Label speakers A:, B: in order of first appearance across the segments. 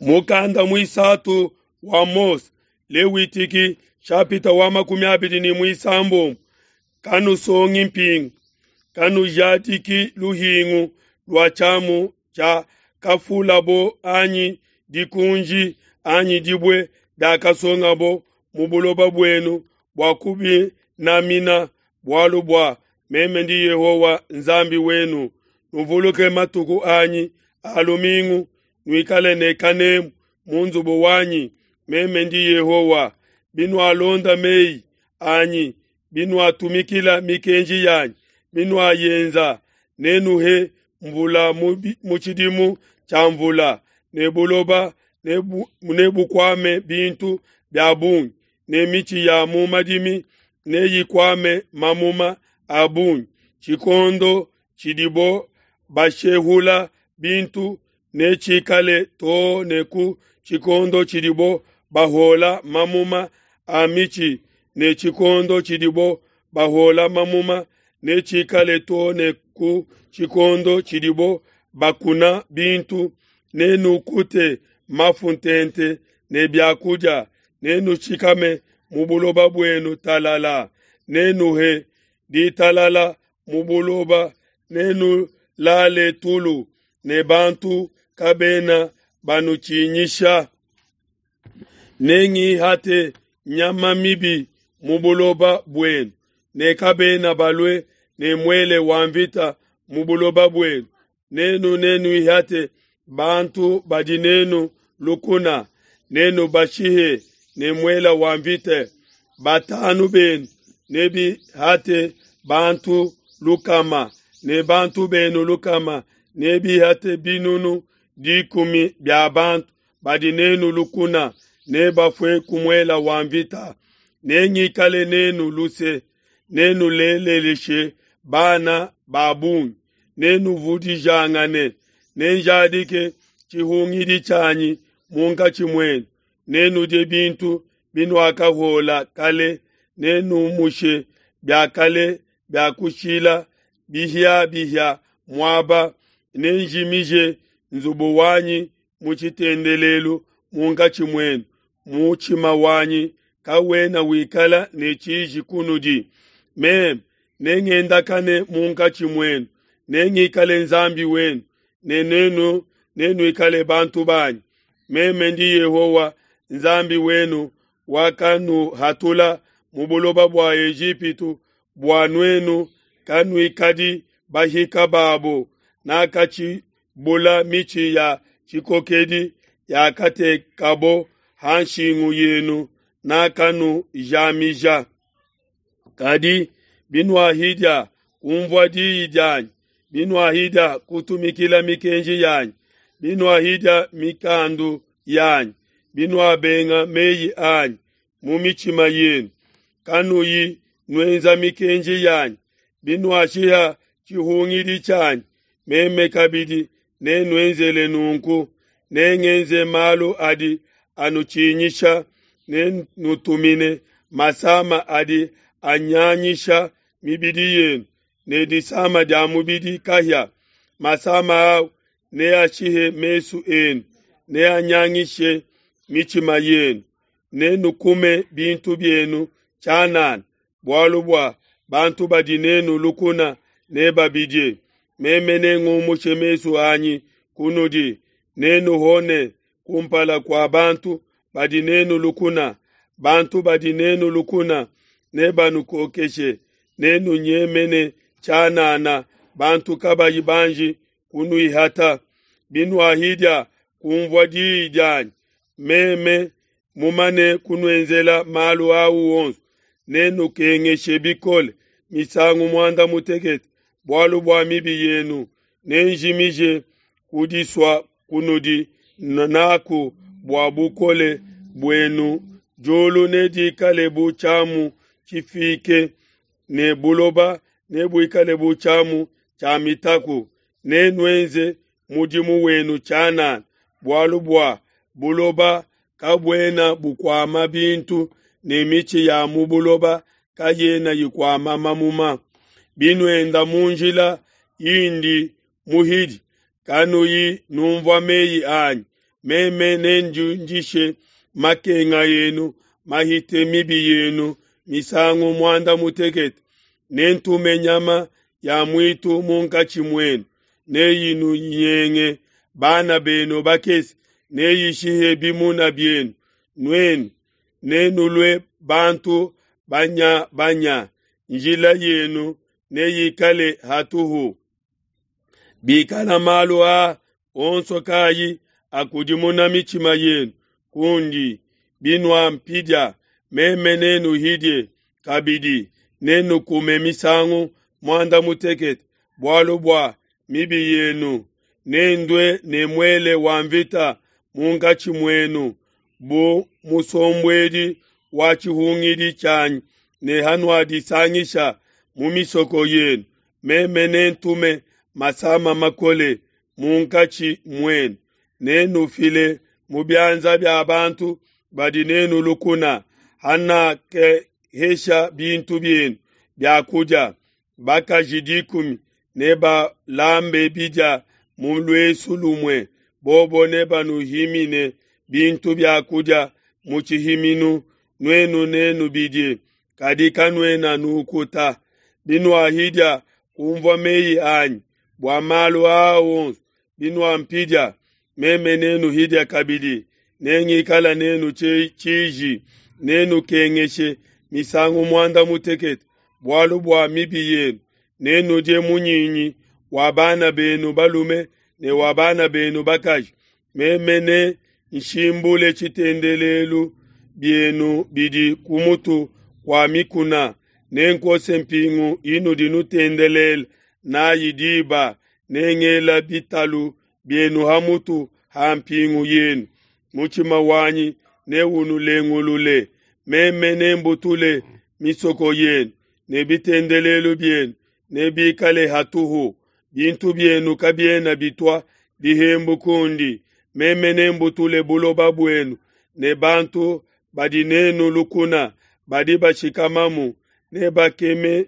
A: Mukanda muisatu wa Mose, Lewitiki shapita wa 26. Kanusongi mpingu, kanujadiki luhingu lua tshiamu tshia kafulabo anyi dikunji anyi dibue diakasongabo mu buloba buenu bua kubinamina, bualu bua meme ndi Yehowa Nzambi wenu. Nuvuluke matuku anyi a lumingu, nuikale ne kanemu mu nzubu wanyi, meme ndi Yehowa. Binualonda meyi anyi, binuatumikila mikenji yanyi, binuayenza, nenuhe mvula mu tshidimu tshia mvula, ne buloba nebukuame bintu bia bungi, ne mitshi ya mu madimi neyikuame mamuma a bungi. Tshikondo tshidibo bashehula bintu netshikale too ne ku tshikondo tshidibo bahola mamuma a mitshi, ne tshikondo tshidibo bahola mamuma netshikale too ne ku tshikondo tshidibo bakuna bintu. Nenukute mafu ntente ne biakudia, nenushikame mu buloba buenu talala, nenuhe ditalala mu buloba, nenulale tulu, ne bantu kabena banutshinyisha. Nengihate nyama mibi mu buloba buenu, ne kabena balue ne muele wa mvita mu buloba buenu. Nenu nenuihate bantu badi nenu lukuna, nenubashihe ne muele wa mvita. Batanu benu nebihate bantu lukama, ne bantu benu lukama nebihate binunu 10 bia bantu badi nenu lukuna, nebafue ku muele wa mvita. Nengikale nenu luse, nenuleleshe bana ba bungi, nenuvudijangane, nenjadike tshihungidi tshianyi munkatshi muenu, nenudie bintu binuakahola kale, nenumushe bia kale bia kushila bihiabihia muaba, nenjimije nzubu wanyi mu tshitendelelu munkatshi muenu. Mutshima wanyi kawena wikala ne tshiji kunudi. Meme nengendakane munkatshi muenu, nengikale Nzambi wenu, ne nenu nenuikale bantu banyi. Meme ndi Yehowa Nzambi wenu wakanuhatula mu buloba bua Ejipitu bua nuenu kanuikadi bahika babo. Nakatshibula mitshi ya tshikokedi yakatekabo ha nshingu yenu, nakanujamija. Kadi binuahidia kunvua diyi dianyi, binuahidia kutumikila mikenji yanyi, binuahidia mikandu yanyi, binuabenga meyi anyi mu mitshima yenu, kanuyi nuenza mikenji yanyi, binuashiha tshihungidi tshianyi, meme kabidi nenuenzele nunku. Nengenze malu adi anutshinyisha, nenutumine masama adi anyanyisha mibidi yenu, ne disama dia mubidi kahia. Masama au neashihe mesu enu, neanyangishe mitshima yenu. Nenukume bintu bienu tshianana, bualu bua bantu badi nenu lukuna nebabidie. Meme nengumushe mesu anyi kunudi, nenuhone kumpala kua bantu badi nenu lukuna. Bantu badi nenu lukuna nebanukokeshe, nenunyemene tshianana, bantu kabayi banji kunuihata. Binuahidia kunvua diyi dianyi, meme mumane kunuenzela malu au onso, nenukengeshe bikole misangu 18 bualu bua mibi yenu. Nenjimije kudisua kunudi naku bua bukole buenu. Diulu nedikale bu tshiamu tshifike, ne buloba nebuikale bu tshiamu tshia mitaku. Nenuenze mudimu wenu tshianana, bualu bua buloba kabuena bukuama bintu, ne mitshi ya mu buloba kayena ikuama mamuma. Binuenda mu njila indi muhidi, kanuyi numvua meyi anyi, Meme nendiundishe makenga enu mahite mibi yenu misangu muanda mutekete. Nentume nyama ya muitu munkatshi muenu, neyinunyenge bana benu bakese, neyishihe bimuna bienu. Nuenu nenulue bantu banya-banya, njila yenu neyikale hatuhu. Bikala malu aa onso kayi akudimuna mitshima yenu kundi, binuampidia, meme nenuhidie kabidi, nenukume misangu muanda mutekete bualu bua mibi yenu. Nendue ne muele wa nvita munkatshi muenu bu musombuedi wa tshihungidi tshianyi ne hanuadisangisha mu misoko yenu, meme nentume masama makole munkatshi muenu. Nenufile mu bianza bia bantu badi n'enu lukuna, hanakehesha bintu bienu bia kudia. Bakaji dikumi nebalambe bidia mu luesu lumue, bobo nebanuhimine bintu bia kudia mu tshihiminu, nuenu nenubidie, kadi kanuena nukuta. Binuahidia kunvua meyi anyi bua malu aa onso, binuampidia, meme nenuhidia kabidi, nengikale n'enu tshiji, nenukengeshe misangu muanda mutekete bualu bua mibi yenu. Nenudie munyinyi wa bana benu balume ne wa bana benu bakaji. Meme nenshimbule tshitendelelu bienu bidi ku mutu kua mikuna, nenkose mpingu inudi nutendelela n'ai diba, nengela bitalu bienu ha mutu ha mpingu yenu. Mutshima wanyi neunulengulule. Meme nembutule misoko yenu ne bitendelelu bienu nebikale hatuhu, bintu bienu kabiena bitua dihembu kundi. Meme nembutule buloba buenu ne bantu badi n'enu lukuna badi bashikamamu nebakeme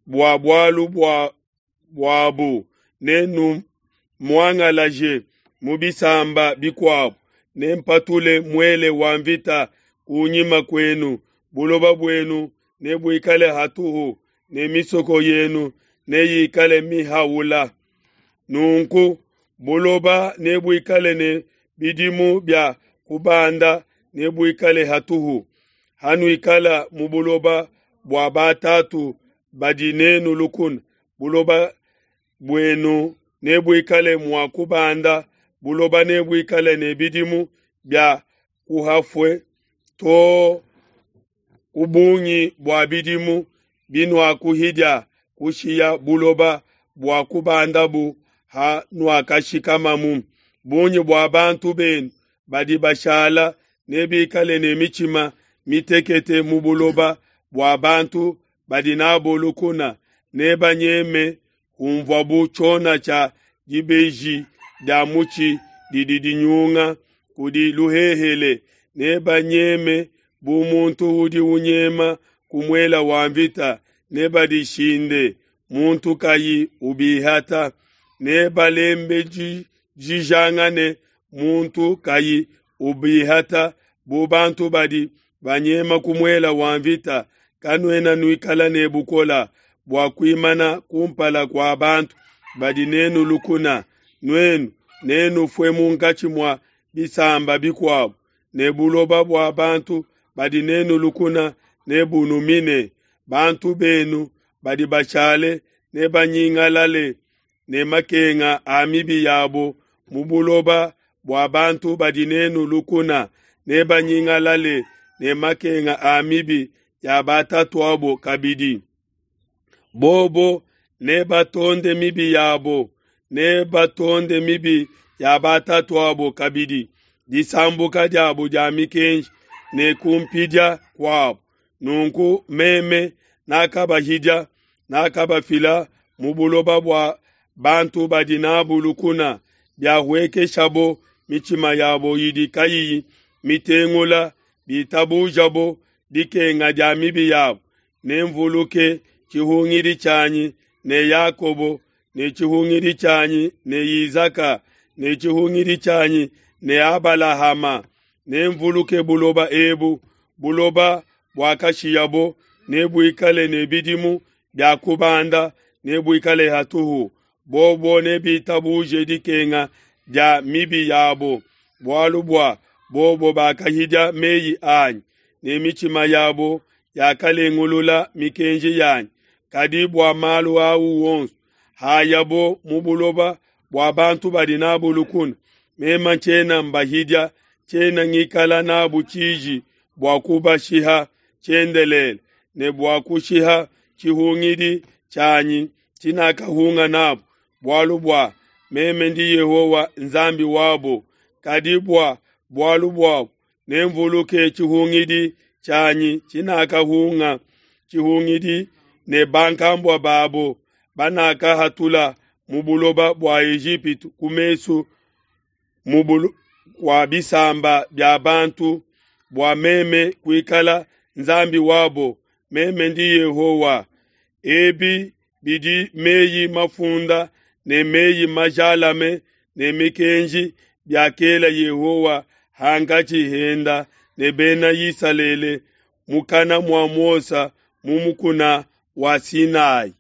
A: bua bualu buabu. Nenumuangalaje mu bisamba bikuabo, nempatule muele wa nvita ku nyima kuenu. Buloba buenu nebuikale hatuhu, ne misoko yenu neyikale mihaula. Nunku buloba nebuikale ne bidimu bia kubanda, nebuikale hatuhu. Hanuikala mu buloba bua batatu badi n'enu lukuna, buloba buenu nebuikale mua kubanda, buloba nebuikale ne bidimu bia kuhafue to ku bungi bua bidimu binuakuhidia kushiya buloba bua kubandabu hanuakashikamamu. Bungi bua bantu benu badi bashala nebikale ne mitshima mitekete mu buloba bua bantu badi n'abo lukuna, nebanyeme hunvuabu tshiona tshia dibeji dia mutshi didi dinyunga kudi luhehele, nebanyeme bu muntu udi unyema ku muele wa nvita, nebadishinde, muntu kayi ubihata, nebalembejijangane, muntu kayi ubihata, bu bantu badi banyema ku muele wa nvita. Kanuena nuikala ne bukole bua kuimana kumpala kua bantu badi n'enu lukuna. Nuenu nenufue munkatshi mua bisamba bikuabo, ne buloba bua bantu badi n'enu lukuna nebunumine. Bantu benu badi bashale nebanyingalale ne makenga a mibi yabo mu buloba bua bantu badi n'enu lukuna, nebanyingalale ne makenga a mibi ya batatuabo kabidi. Bobo nebatonde mibi yabo, nebatonde mibi ya batatuabo kabidi, disambuka diabo dia mikenji ne kumpidia kuabo. Nunku meme nakabahidia, nakabafila mu buloba bua bantu badi n'abu lukuna, biahuekeshabo mitshima yabo idi kayiyi mitengula, bitabujabo dikenga dia mibi yabo. Nenvuluke tshihungidi tshianyi ne Yakobo, ne tshihungidi tshianyi ne Isaka, ne tshihungidi tshianyi ne Abalahama. Nenvuluke buloba ebu, buloba buakashiyabo nebuikale ne bidimu bia kubanda, nebuikale hatuhu. Bobo nebitabuje dikenga dia mibi yabo, bualu bua bobo bakahidia meyi anyi, ne mitshima yabo yakalengulula mikenji yanyi. Kadi bua malu au wonso, hayabo mu buloba bua bantu badi n'abu lukuna, meme tshiena mbahidia, tshiena ngikala n'abu tshiji bua kubashiha tshiendelele, ne bua kushiha tshihungidi tshianyi tshinakahunga n'abo, bualu bua meme ndi Yehowa Nzambi wabo. Kadi bua bualu buabo nenvuluke tshihungidi tshianyi tshinakahunga tshihungidi ne bankambua babo banakahatula mu buloba bua Ejipitu ku mesu mu kua bisamba bia bantu, bua meme kuikala Nzambi wabo. Meme ndi Yehowa. Ebi bidi meyi mafunda ne meyi majalame ne mikenji biakela Yehowa hankatshi henda ne Bena Isalele mukana mua Mose mu mukuna wa Sinai.